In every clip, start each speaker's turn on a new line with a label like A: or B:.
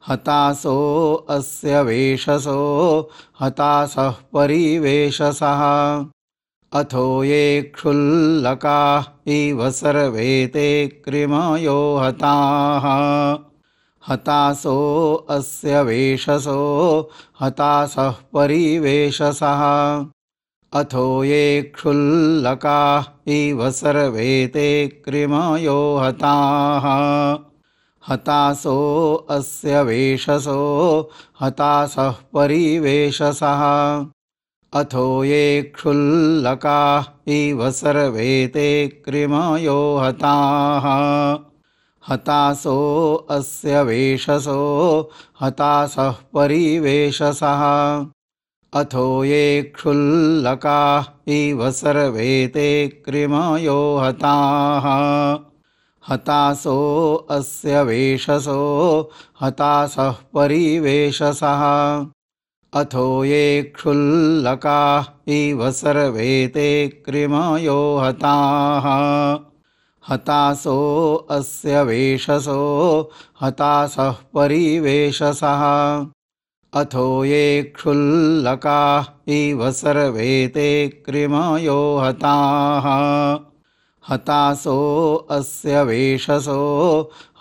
A: हतासो अस्य वेशसो हतासः परिवेशसः अथो ये क्षुल्लकाः इव सर्वे ते कृमयो हताः हतासो अस्य वेशसो हतासः परिवेशसः अथो ये क्षुल्लकाः इव सर्वे ते कृमयो हताः हतासो अस्य वेशसो हतासः परिवेशसः अथो ये क्षुल्लकाः इव सर्वे ते कृमयो हताः हतासो अस्य वेशसो हतासः परिवेशसः अथो ये क्षुल्लकाः इव सर्वे ते कृमयो हताः हतासो अस्य वेशसो हतासः परिवेशसः अथो ये क्षुल्लकाः इव सर्वे ते कृमयो हताः हतासो अस्य वेशसो हतासः परिवेशसः अथो ये क्षुल्लकाः इव सर्वे ते कृमयो हताः हतासो अस्य वेशसो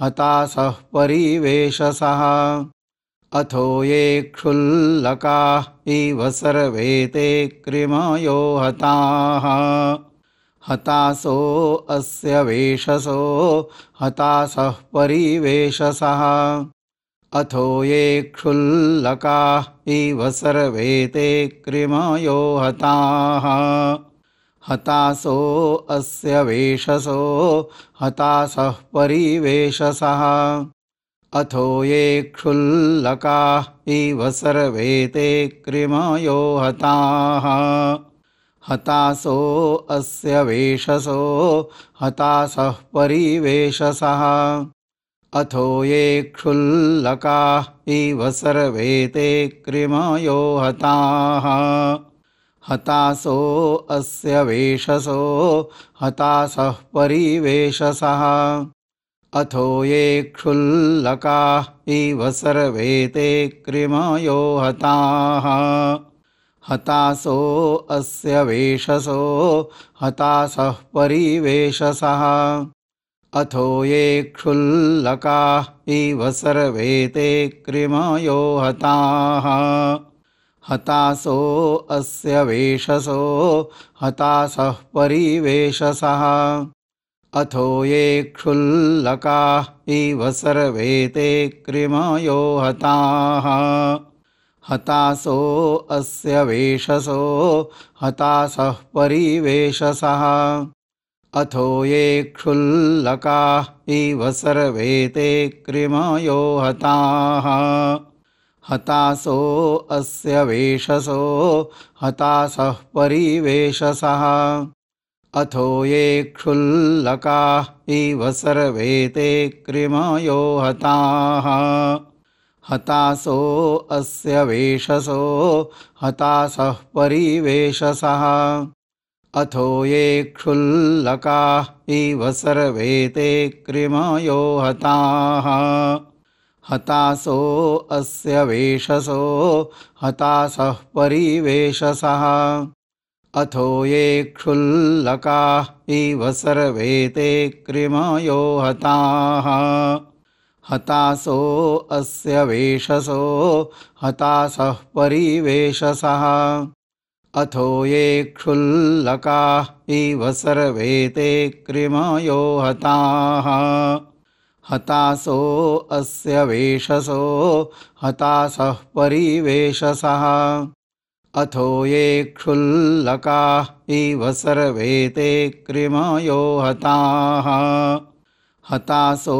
A: हतासः परिवेशसः अथो ये क्षुल्लकाः इव सर्वे ते कृमयो हताः हतासो अस्य वेशसो हतासः परिवेशसः अथो ये क्षुल्लकाः इव सर्वे ते कृमयो हताः हतासो अस्य वेशसो हतासः परिवेशसः अथो ये क्षुल्लकाः इव सर्वे ते कृमयो हताः हतासो अस्य वेशसो हतासः परिवेशसः अथो ये क्षुल्लकाः इव सर्वे ते कृमयो हताः हतासो अस्य वेशसो हतासः परिवेशसः अथो ये क्षुल्लकाः इव सर्वे ते कृमयो हताः हतासो अस्य वेशसो हतासः परिवेशसः अथो ये क्षुल्लकाः इव सर्वे ते कृमयो हताः हतासो अस्य वेशसो हतासः परिवेशसः अथो ये क्षुल्लकाः इव सर्वे ते कृमयो हताः हतासो अस्य वेशसो हतासः परिवेशसः अथो ये क्षुल्लकाः इव सर्वे ते कृमयो हताः हतासो अस्य वेशसो हतासः परिवेशसः अथो ये क्षुल्लकाः इव सर्वे ते कृमयो हताः हतासो अस्य वेशसो हतासः परिवेशसः अथो ये क्षुल्लकाः इव सर्वे ते कृमयो हताः हतासो अस्य वेशसो हतासः परिवेशसः अथो ये क्षुल्लकाः इव सर्वे ते कृमयो हताः हतासो अस्य वेशसो हतासः परिवेशसः अथो ये क्षुल्लकाः इव सर्वे ते कृमयो हताः हतासो अस्य वेशसो हतासः परिवेशसः अथो ये क्षुल्लकाः इव सर्वे ते कृमयो हताः हतासो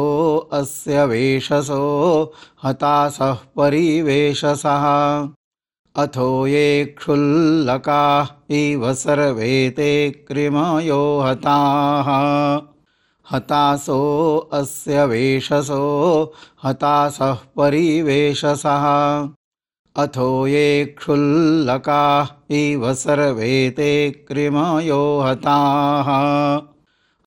A: अस्य वेशसो हतासः परिवेशसः अथो ये क्षुल्लकाः इव सर्वे ते कृमयो हताः हतासो अस्य वेशसो हतासः परिवेशसः अथो ये क्षुल्लकाः इव सर्वे ते कृमयो हताः